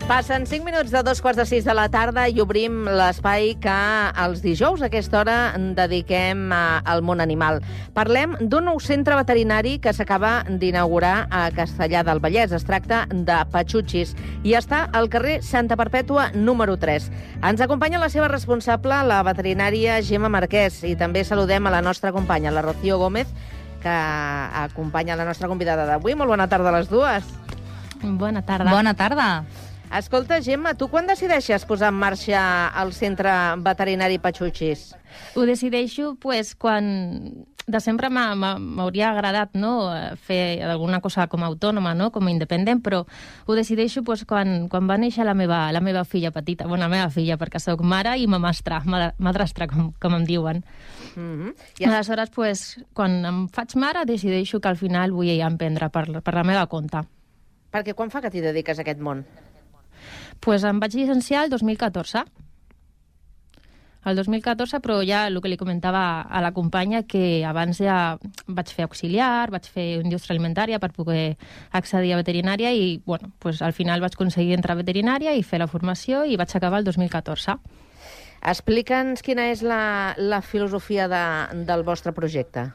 Passen 5 minuts de 2:45 de la tarda i obrim l'espai que els dijous a aquesta hora dediquem al món animal. Parlem d'un nou centre veterinari que s'acaba d'inaugurar a Castellar del Vallès. Es tracta de Patxutxis i està al carrer Santa Perpètua número 3. Ens acompanya la seva responsable, la veterinària Gemma Marquès, i també saludem a la nostra companya, la Rocío Gómez, que acompanya la nostra convidada d'avui. Molt bona tarda a les dues. Bona tarda. Bona tarda. Escolta, Gemma, tu quan decideixes posar en marxa el centre veterinari Patxutxis? Ho decideixo quan de sempre m'hauria agradat, no, fer alguna cosa com a autònoma, no, com a independent, però ho decideixo quan va néixer la meva filla petita. Bueno, la meva filla, perquè sóc mare i madrastra, com em diuen. I aleshores, quan em faig mare, decideixo que al final vull emprendre per la meva compte. Perquè quan fa que t'hi dediques a aquest món? Em vaig llicenciar el 2014. El 2014, però ja el que li comentava a la companya, que abans ja vaig fer auxiliar, vaig fer indústria alimentària per poder accedir a veterinària i, al final vaig aconseguir entrar a veterinària i fer la formació i vaig acabar el 2014. Explica'ns quina és la filosofia del vostre projecte.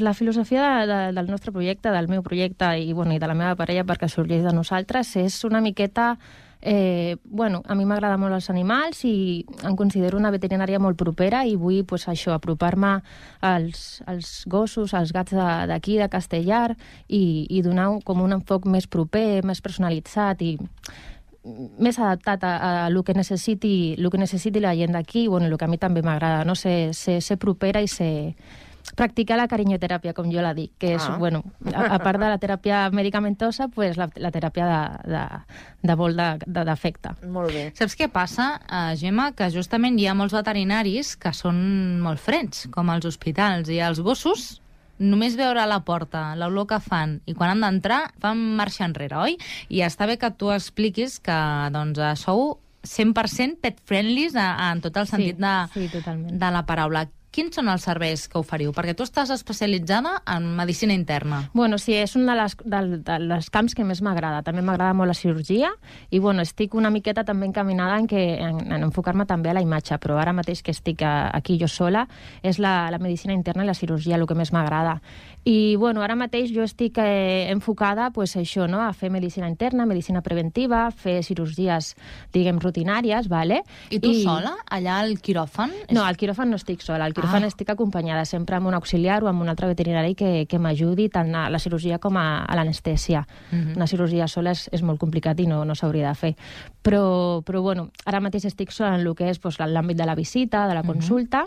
La filosofia del nostre projecte, del meu projecte i de la meva parella, perquè sorgeix de nosaltres, és una miqueta... a mi m'agrada molt els animals i em considero una veterinària molt propera i vull apropar-me als gossos, als gats d'aquí, de Castellar, i donar com un enfoc més proper, més personalitzat i més adaptat a el que necessiti la gent d'aquí, el que a mi també m'agrada, no? Ser propera i practicar la carinyoteràpia, com jo la dic, que és, a part de la teràpia medicamentosa, la teràpia de vol d'afecte. Molt bé. Saps què passa, Gemma? Que justament hi ha molts veterinaris que són molt freds, com als hospitals, i els gossos, només veure a la porta l'olor que fan i quan han d'entrar fan marxa enrere, oi? I està bé que tu expliquis que sou 100% pet-friendlies en tot el sentit de la paraula. Quins són els serveis que oferiu? Perquè tu estàs especialitzada en medicina interna. Sí, és un dels camps que més m'agrada. També m'agrada molt la cirurgia i, estic una miqueta també encaminada en enfocar-me també a la imatge, però ara mateix que estic aquí jo sola és la medicina interna i la cirurgia el que més m'agrada. I, ara mateix jo estic enfocada, això, no?, a fer medicina interna, medicina preventiva, fer cirurgies, diguem, rutinàries, vale? I tu sola, allà al quiròfan? No, al quiròfan no estic sola, al quiròfan estic acompanyada sempre amb un auxiliar o amb un altre veterinari que m'ajudi tant a la cirurgia com a l'anestèsia. Una cirurgia sola és molt complicat i no s'hauria de fer. Però ara mateix estic sola en el que és l'àmbit de la visita, de la consulta,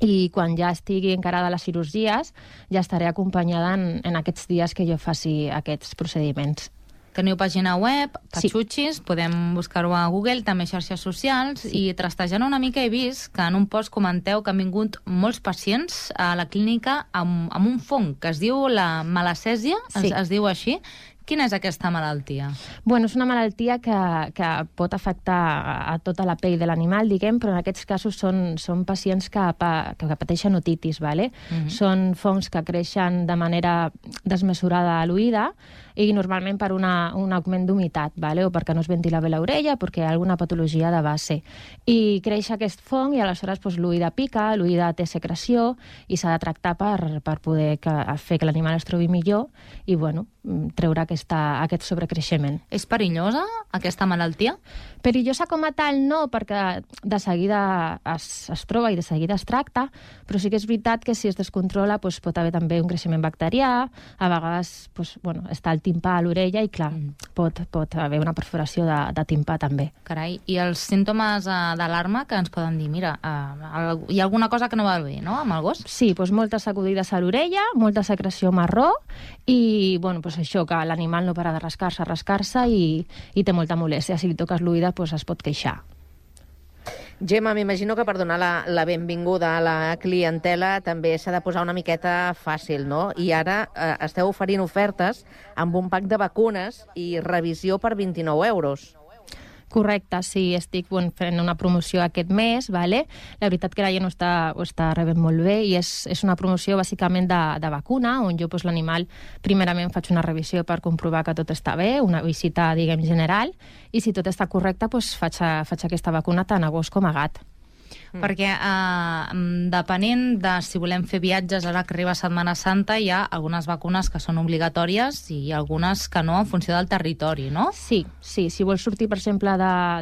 i quan ja estigui encarada les cirurgies ja estaré acompanyada en aquests dies que jo faci aquests procediments. Teniu pàgina web, Patxutxis, podem buscar-ho a Google, també xarxes socials, i trastejant una mica he vist que en un post comenteu que han vingut molts pacients a la clínica amb un fong que es diu la malacèsia, es diu així. Quina és aquesta malaltia? És una malaltia que pot afectar a tota la pell de l'animal, diguem, però en aquests casos són pacients que pateixen otitis, vale? Són fongs que creixen de manera desmesurada a l'oïda i normalment per un augment d'humitat, vale? O perquè no es ventila bé l'orella, perquè hi ha alguna patologia de base. I creix aquest fong i aleshores l'oïda pica, l'oïda té secreció i s'ha de tractar per poder fer que l'animal es trobi millor i, treure aquest sobrecreixement. És perillosa, aquesta malaltia? Perillosa com a tal no, perquè de seguida es troba i de seguida es tracta, però sí que és veritat que si es descontrola pot haver també un creixement bacterià, a vegades està el timpà a l'orella i, clar, pot haver una perforació de timpà també. Carai, i els símptomes d'alarma que ens poden dir? Mira, hi ha alguna cosa que no va bé, no?, amb el gos? Sí, moltes sacudides a l'orella, molta secreció marró i, això, que l'animal no para de rascar-se i té molta molèstia. Si li toques l'oïda, es pot queixar. Gemma, m'imagino que per donar la benvinguda a la clientela també s'ha de posar una miqueta fàcil, no? I ara esteu oferint ofertes amb un pack de vacunes i revisió per 29 euros. Correcte, sí, estic fent una promoció aquest mes, vale? La veritat que la gent ho està rebent molt bé i és una promoció bàsicament de vacuna, on jo l'animal primerament faig una revisió per comprovar que tot està bé, una visita, diguem, general, i si tot està correcte, faig aquesta vacuna tant a gos com a gat. Perquè depenent de si volem fer viatges ara que arriba Setmana Santa, hi ha algunes vacunes que són obligatòries i algunes que no, en funció del territori, no? Sí. Si vols sortir, per exemple,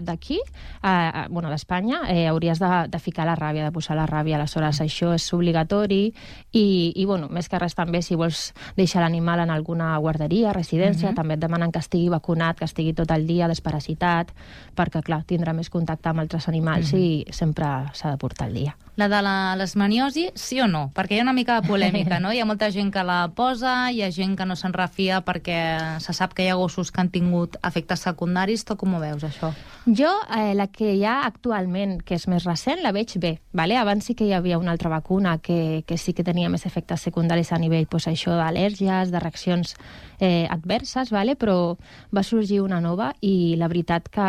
d'aquí, d'Espanya, hauries de ficar la ràbia, de posar la ràbia. Aleshores, això és obligatori i més que res també, si vols deixar l'animal en alguna guarderia, residència, també et demanen que estigui vacunat, que estigui tot el dia desparasitat, perquè, clar, tindrà més contacte amb altres animals i sempre s'ha de portar al dia. La de la lesmaniosi, sí o no? Perquè hi ha una mica de polèmica, no? Hi ha molta gent que la posa, hi ha gent que no se'n refia perquè se sap que hi ha gossos que han tingut efectes secundaris. Tu com ho veus, això? Jo, la que hi ha actualment, que és més recent, la veig bé. Vale? Abans sí que hi havia una altra vacuna que sí que tenia més efectes secundaris a nivell això d'al·lèrgies, de reaccions adverses, vale? Però va sorgir una nova i la veritat que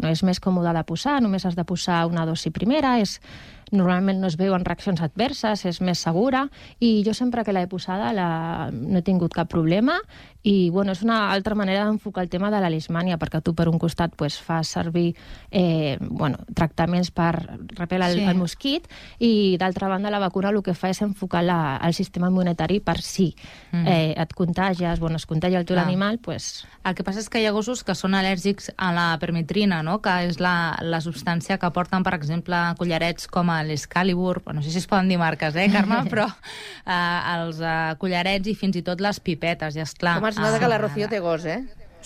és més còmode de posar, només has de posar una dosi primera, normalment no es veuen reaccions adverses, és més segura, i jo sempre que l'he posada no he tingut cap problema, i és una altra manera d'enfocar el tema de la leishmània, perquè tu per un costat fas servir tractaments per repel·lar el mosquit, i d'altra banda la vacuna el que fa és enfocar el sistema immunitari per si et contagies, es contagia el teu animal, El que passa és que hi ha gossos que són al·lèrgics a la permetrina, no? Que és la substància que porten, per exemple, collarets com l'Excalibur, no sé si es poden dir marques, Carme, però els collarets i fins i tot les pipetes, i esclar... Com es nota que la Rocío té gos,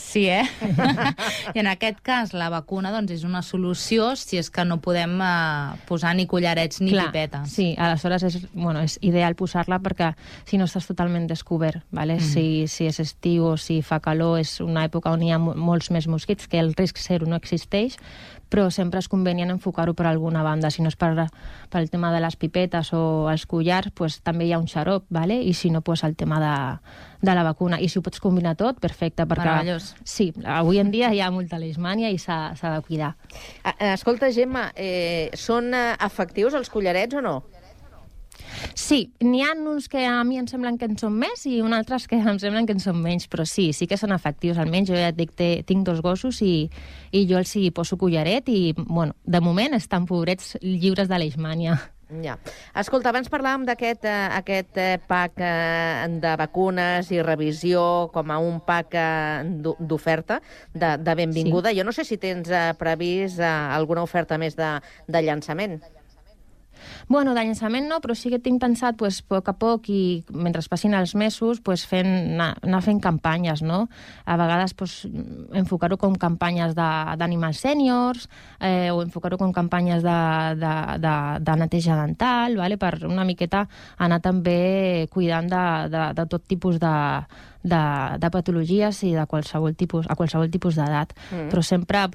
Sí, I en aquest cas la vacuna és una solució si és que no podem posar ni collarets ni pipetes. Sí, aleshores és ideal posar-la perquè si no estàs totalment descobert, vale? Si és estiu o si fa calor, és una època on hi ha molts més mosquits, que el risc zero no existeix, però sempre és convenient enfocar-ho per alguna banda. Si no és pel tema de les pipetes o els collars, també hi ha un xarop, vale? I si no, el tema de la vacuna. I si ho pots combinar tot, perfecte. Meravellós. Sí, avui en dia hi ha molta leishmània i s'ha de cuidar. Escolta, Gemma, són efectius els collarets o no? Sí, n'hi ha uns que a mi em semblen que en són més i uns altres que em semblen que en són menys, però sí que són efectius. Almenys jo ja et dic, tinc 2 gossos i jo els hi poso collaret i, de moment estan pobrets lliures de leishmània. Ja. Escolta, abans parlàvem d'aquest pack de vacunes i revisió com a un pack d'oferta, de benvinguda. Jo no sé si tens previst alguna oferta més de llançament. De llançament no, però sí que tinc pensat, a poc a poc, i mentre passin els mesos, anar fent campanyes, no? A vegades enfocar-ho com campanyes d'animals sèniors, o enfocar-ho com campanyes de neteja dental, vale? Per una miqueta anar també cuidant de tot tipus de patologies i a qualsevol tipus d'edat. Però sempre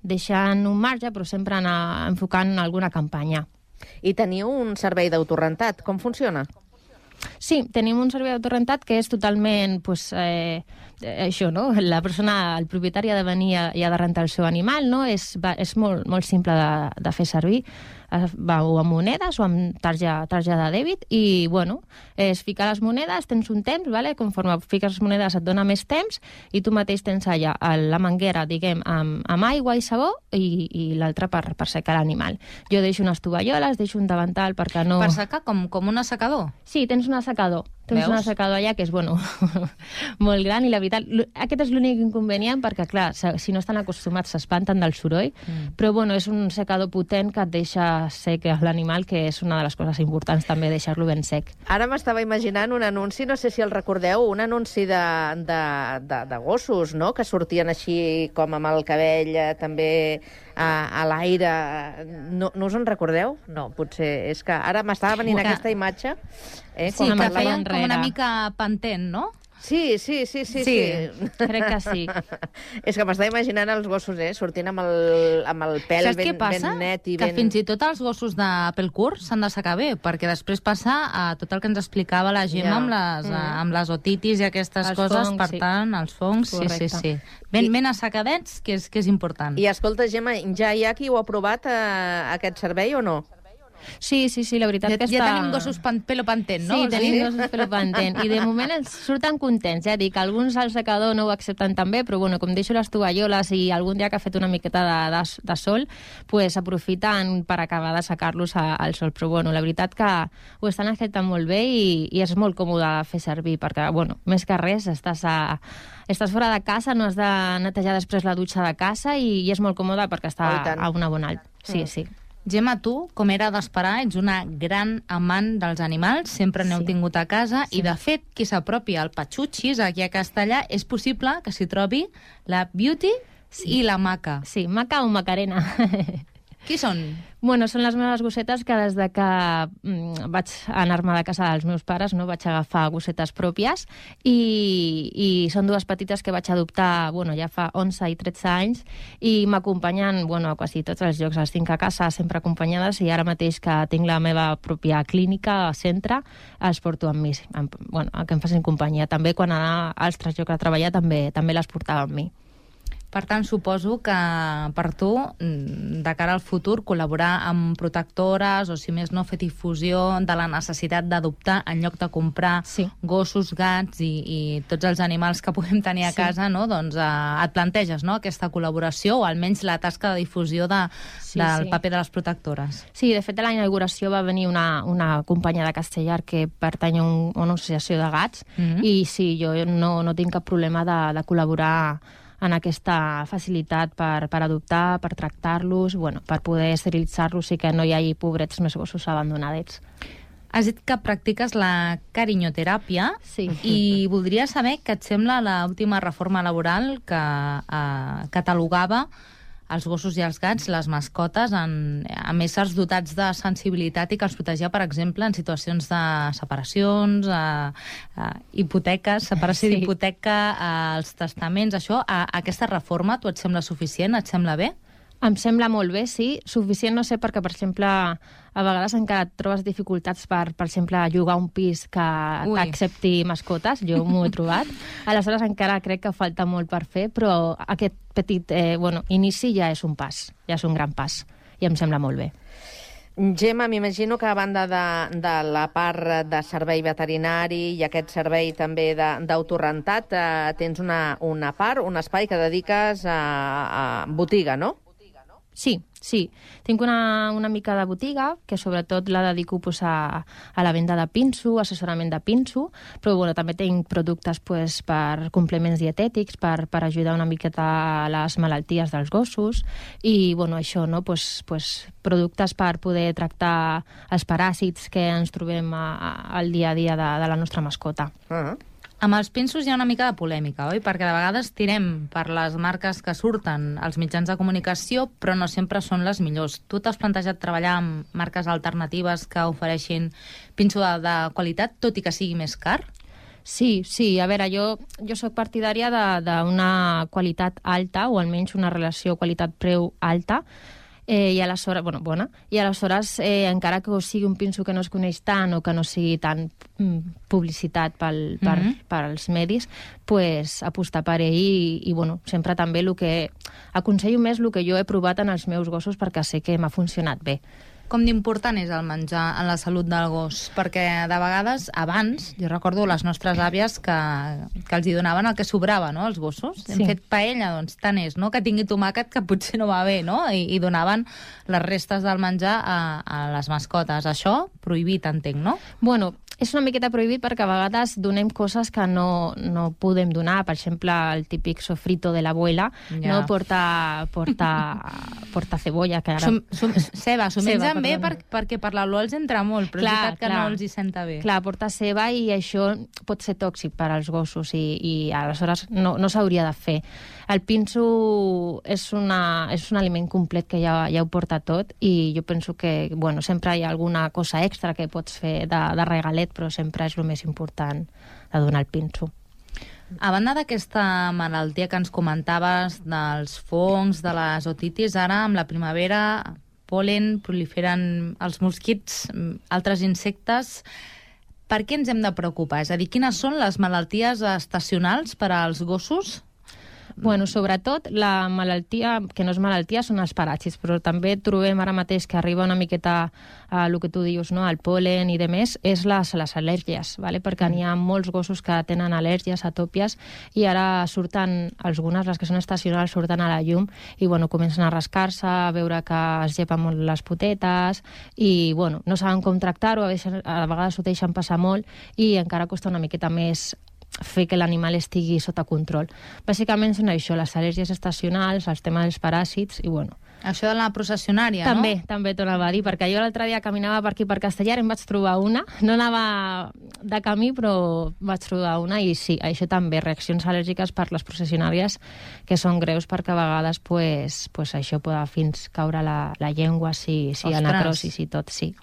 deixant un marge, però sempre anar enfocant alguna campanya. I teniu un servei d'autorrentat. Com funciona? Sí, tenim un servei d'autorrentat que és totalment, això, no? La persona, el propietari ha de venir i ha de rentar el seu animal, no? És molt, molt simple de fer servir. Va o amb monedes o amb tarja de dèbit i, és ficar les monedes, tens un temps, vale? Conforme fiques les monedes et dona més temps i tu mateix tens allà la manguera, diguem, amb aigua i sabó i l'altra per secar l'animal. Jo deixo unes tovalloles, deixo un davantal perquè no... Per secar com un assecador? Sí, tens un assecador. Tens un assecador allà que és, molt gran i la veritat, aquest és l'únic inconvenient perquè, clar, si no estan acostumats s'espanten del soroll, però, és un secador potent que et deixa sec l'animal, que és una de les coses importants també, deixar-lo ben sec. Ara m'estava imaginant un anunci, no sé si el recordeu, un anunci de gossos, no?, que sortien així com amb el cabell també a l'aire. No us en recordeu? No, potser és que ara m'estava venint aquesta imatge. Sí, que feien com una mica pantent, no? Sí. Crec que sí. És que m'estava imaginant els gossos, sortint amb el pèl ben net i que ben... fins i tot els gossos de pèl curt s'han de secar bé, perquè després passa a tot el que ens explicava la Gemma amb les otitis i aquestes coses, fongs, per tant, els fongs, sí. Ben assecadets, que és important. I escolta, Gemma, ja hi ha qui ho ha provat, aquest servei, o no? Sí, la veritat que ja tenim gossos pelo pantent, no? Sí, tenim gossos pelo pantent. I de moment ens surten contents, dic, alguns al secador no ho accepten tan bé, però bueno, com deixo les tovalloles i algun dia que ha fet una miqueta de sol, pues aprofiten per acabar de secar-los al sol. Però bueno, la veritat que ho estan acceptant molt bé i és molt còmode de fer servir, perquè, bueno, més que res, estàs fora de casa, no has de netejar després la dutxa de casa i és molt còmode perquè està a una bona alt. Sí. Gemma, tu, com era d'esperar, ets una gran amant dels animals, sempre n'heu tingut a casa, i de fet, qui s'apropi al Patxutxis, aquí a Castellà, és possible que s'hi trobi la Beauty i la Maca. Sí, Maca o Macarena. Qui són? Bueno, són les meves gossetes que des de que vaig anar-me de casa dels meus pares, no vaig agafar gossetes pròpies i són dues petites que vaig adoptar ja fa 11 i 13 anys i m'acompanyen a quasi tots els llocs. Les tinc a casa sempre acompanyades i ara mateix que tinc la meva pròpia clínica, centre, els porto amb mi, que em facin companyia. També quan anava a altres llocs a treballar també les portava amb mi. Per tant, suposo que per tu, de cara al futur, col·laborar amb protectores o, si més no, fer difusió de la necessitat d'adoptar en lloc de comprar gossos, gats i tots els animals que podem tenir a casa, no? Doncs et planteges, no?, aquesta col·laboració o almenys la tasca de difusió del paper de les protectores. Sí, de fet, a la inauguració va venir una companya de Castellar que pertany a una associació de gats i sí, jo no tinc cap problema de col·laborar en aquesta facilitat per adoptar, per tractar-los, per poder esterilitzar-los i que no hi hagi pobrets més gossos abandonadets. Has dit que practiques la carinyoteràpia i voldria saber què et sembla l'última reforma laboral que catalogava els gossos i els gats, les mascotes, amb éssers dotats de sensibilitat i que els protegia, per exemple, en situacions de separacions, hipoteques, separació d'hipoteca, els testaments, això. Aquesta reforma, tu et sembla suficient? Et sembla bé? Em sembla molt bé, sí. Suficient no sé perquè, per exemple, a vegades encara et trobes dificultats per exemple, llogar un pis que accepti mascotes. Jo m'ho he trobat. Aleshores encara crec que falta molt per fer, però aquest petit inici ja és un pas, ja és un gran pas. I em sembla molt bé. Gemma, m'imagino que a banda de la part de servei veterinari i aquest servei també d'autorentat, tens una part, un espai que dediques a botiga, no? Sí. Tinc una mica de botiga, que sobretot la dedico a la venda de pinso, assessorament de pinso, però també tinc productes per complements dietètics, per ajudar una miqueta a les malalties dels gossos, i això, no? Productes per poder tractar els paràsits que ens trobem al dia a dia de la nostra mascota. Amb els pinsos hi ha una mica de polèmica, oi? Perquè de vegades tirem per les marques que surten als mitjans de comunicació, però no sempre són les millors. Tu t'has plantejat treballar amb marques alternatives que ofereixin pinso de qualitat, tot i que sigui més car? Sí. A veure, jo soc partidària d'una qualitat alta, o almenys una relació qualitat-preu alta, i aleshores, bona, i aleshores, encara que sigui un pinso que no es coneix tant o que no sigui tan publicitat per als medis, apostar per ell i sempre també el que aconsello més el que jo he provat en els meus gossos perquè sé que m'ha funcionat bé. Com d'important és el menjar en la salut del gos? Perquè de vegades, abans, jo recordo les nostres àvies que els hi donaven el que sobrava, no?, als gossos. Hem fet paella, doncs tant és, no?, que tingui tomàquet, que potser no va bé, no?, i donaven les restes del menjar a les mascotes. Això, prohibit, entenc, no? És una miqueta prohibit perquè a vegades donem coses que no podem donar. Per exemple, el típic sofrito de l'abuela, no porta cebolla. Que ara... Ceba, s'ho mengen bé perquè per l'olor els entra molt, però és veritat que no els hi senta bé. Clar, porta ceba i això pot ser tòxic per als gossos i aleshores no s'hauria de fer. El pinso és un aliment complet que ja ho porta tot i jo penso que sempre hi ha alguna cosa extra que pots fer de regalet, però sempre és el més important de donar el pinso. A banda d'aquesta malaltia que ens comentaves dels fongs, de les otitis, ara amb la primavera, pol·len, proliferen els mosquits, altres insectes. Per què ens hem de preocupar? És a dir, quines són les malalties estacionals per als gossos? Bueno, sobretot la malaltia, que no és malaltia, són els paràsits, però també trobem ara mateix que arriba una miqueta a el que tu dius, no? El pol·len i demés, és les al·lèrgies, vale? Perquè n'hi ha molts gossos que tenen al·lèrgies, atòpies, i ara surten, algunes, les que són estacionals, surten a la llum i bueno, comencen a rascar-se, a veure que es llepen molt les potetes i bueno, no saben com tractar-ho, a vegades ho deixen passar molt i encara costa una miqueta més fer que l'animal estigui sota control. Bàsicament són això, les al·lèrgies estacionals, els temes dels paràsits i bueno. Això de la processionària, també, no? També t'ho anava a dir, perquè jo l'altre dia caminava per aquí per Castellar i em vaig trobar una, no anava de camí però vaig trobar una i sí, això també, reaccions al·lèrgiques per les processionàries que són greus perquè a vegades pues això pot fins caure la llengua, si hi ha necrosis i tot, sí.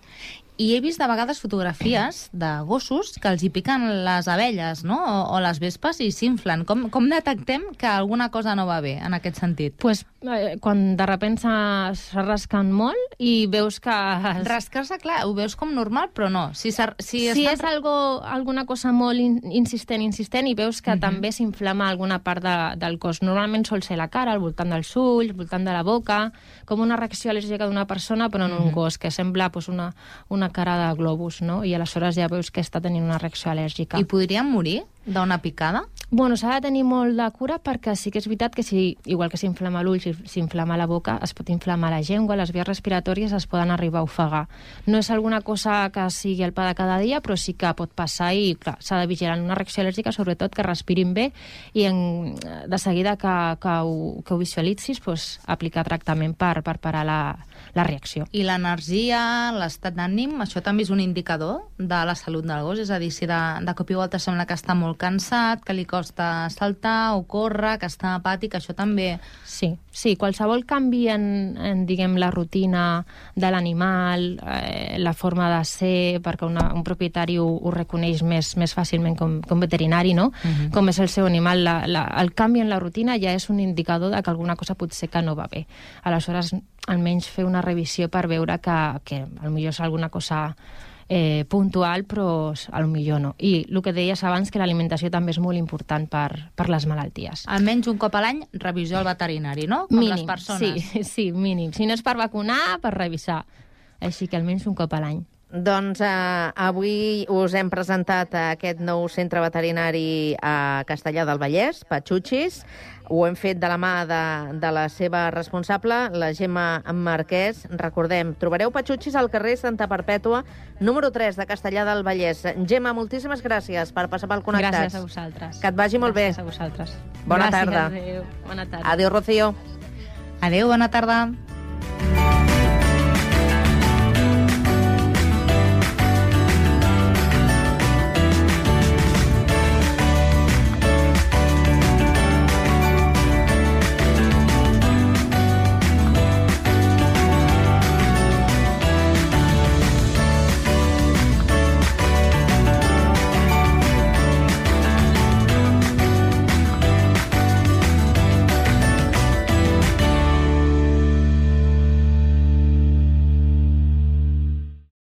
I he vist de vegades fotografies de gossos que els hi piquen les abelles, no? O les vespes i s'inflen. Com detectem que alguna cosa no va bé en aquest sentit? Pues quan de sobte s'ha rascant molt i veus que... Rascar-se, clar, ho veus com normal, però no. Si és alguna cosa molt insistent i veus que també s'inflama alguna part del cos. Normalment sol ser la cara, al voltant dels ulls, al voltant de la boca, com una reacció al·lèrgica d'una persona, però en un gos, que sembla una cara de globus, no? I aleshores ja veus que està tenint una reacció al·lèrgica. I podrien morir d'una picada? Bueno, s'ha de tenir molt de cura perquè sí que és veritat que igual que s'inflama l'ull, s'inflama la boca, es pot inflamar la llengua, les vies respiratòries es poden arribar a ofegar. No és alguna cosa que sigui el pa de cada dia, però sí que pot passar i, clar, s'ha de vigilar en una reacció al·lèrgica, sobretot que respirin bé i de seguida que ho visualitzis, aplicar tractament per parar la reacció. I l'energia, l'estat d'ànim, això també és un indicador de la salut del gos? És a dir, si de cop i volta sembla que està molt cansat, que li costa saltar o córrer, que està apàtic, això també... Sí, qualsevol canvi en diguem, la rutina de l'animal, la forma de ser, perquè un propietari ho reconeix més fàcilment com veterinari, no? Com és el seu animal, el canvi en la rutina ja és un indicador de que alguna cosa potser que no va bé. Aleshores, almenys fer una revisió per veure que potser és alguna cosa puntual, però potser no. I el que deies abans, que l'alimentació també és molt important per les malalties. Almenys un cop a l'any, revisió al veterinari, no? Com mínim, les persones. Sí, mínim. Si no és per vacunar, per revisar. Així que almenys un cop a l'any. Doncs avui us hem presentat aquest nou centre veterinari a Castellar del Vallès, Patxutxis. Ho hem fet de la mà de la seva responsable, la Gemma Marquès. Recordem, trobareu Patxutxis al carrer Santa Perpètua, número 3 de Castellar del Vallès. Gemma, moltíssimes gràcies per passar pel Connectats. Gràcies a vosaltres. Que et vagi molt bé. Gràcies a vosaltres. Bona tarda. Adéu. Bona tarda. Adéu, Rocío. Adéu, bona tarda.